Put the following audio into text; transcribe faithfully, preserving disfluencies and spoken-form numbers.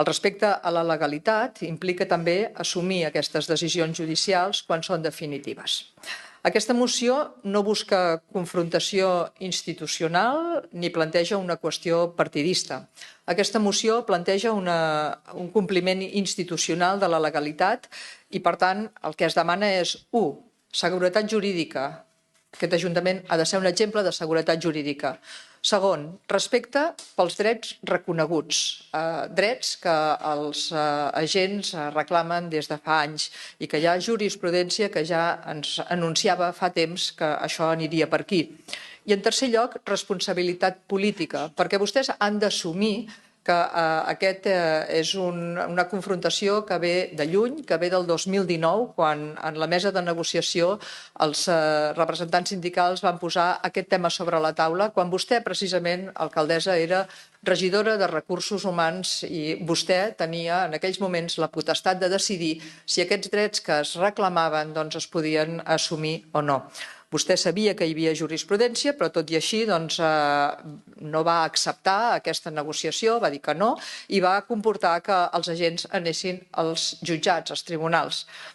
El respecte a la legalitat implica també assumir aquestes decisions judicials quan són definitives. Aquesta moció no busca confrontació institucional ni planteja una qüestió partidista. Aquesta moció planteja una, un compliment institucional de la legalitat i, per tant, el que es demana és, u, seguretat jurídica. Aquest Ajuntament ha de ser un exemple de seguretat jurídica. Segon, respecte pels drets reconeguts, eh, drets que els eh, agents reclamen des de fa anys i que hi ha jurisprudència que ja ens anunciava fa temps que això aniria per aquí. I en tercer lloc, responsabilitat política, perquè vostès han d'assumir que eh, aquest eh, és un, una confrontació que ve de lluny, que ve del dos mil dinou, quan en la mesa de negociació els eh, representants sindicals van posar aquest tema sobre la taula, quan vostè, precisament, alcaldessa, era regidora de Recursos Humans i vostè tenia en aquells moments la potestat de decidir si aquests drets que es reclamaven doncs, es podien assumir o no. Vostè sabia que hi havia jurisprudència, però tot i així doncs, eh, no va acceptar aquesta negociació, va dir que no, i va comportar que els agents anessin als jutjats, als tribunals.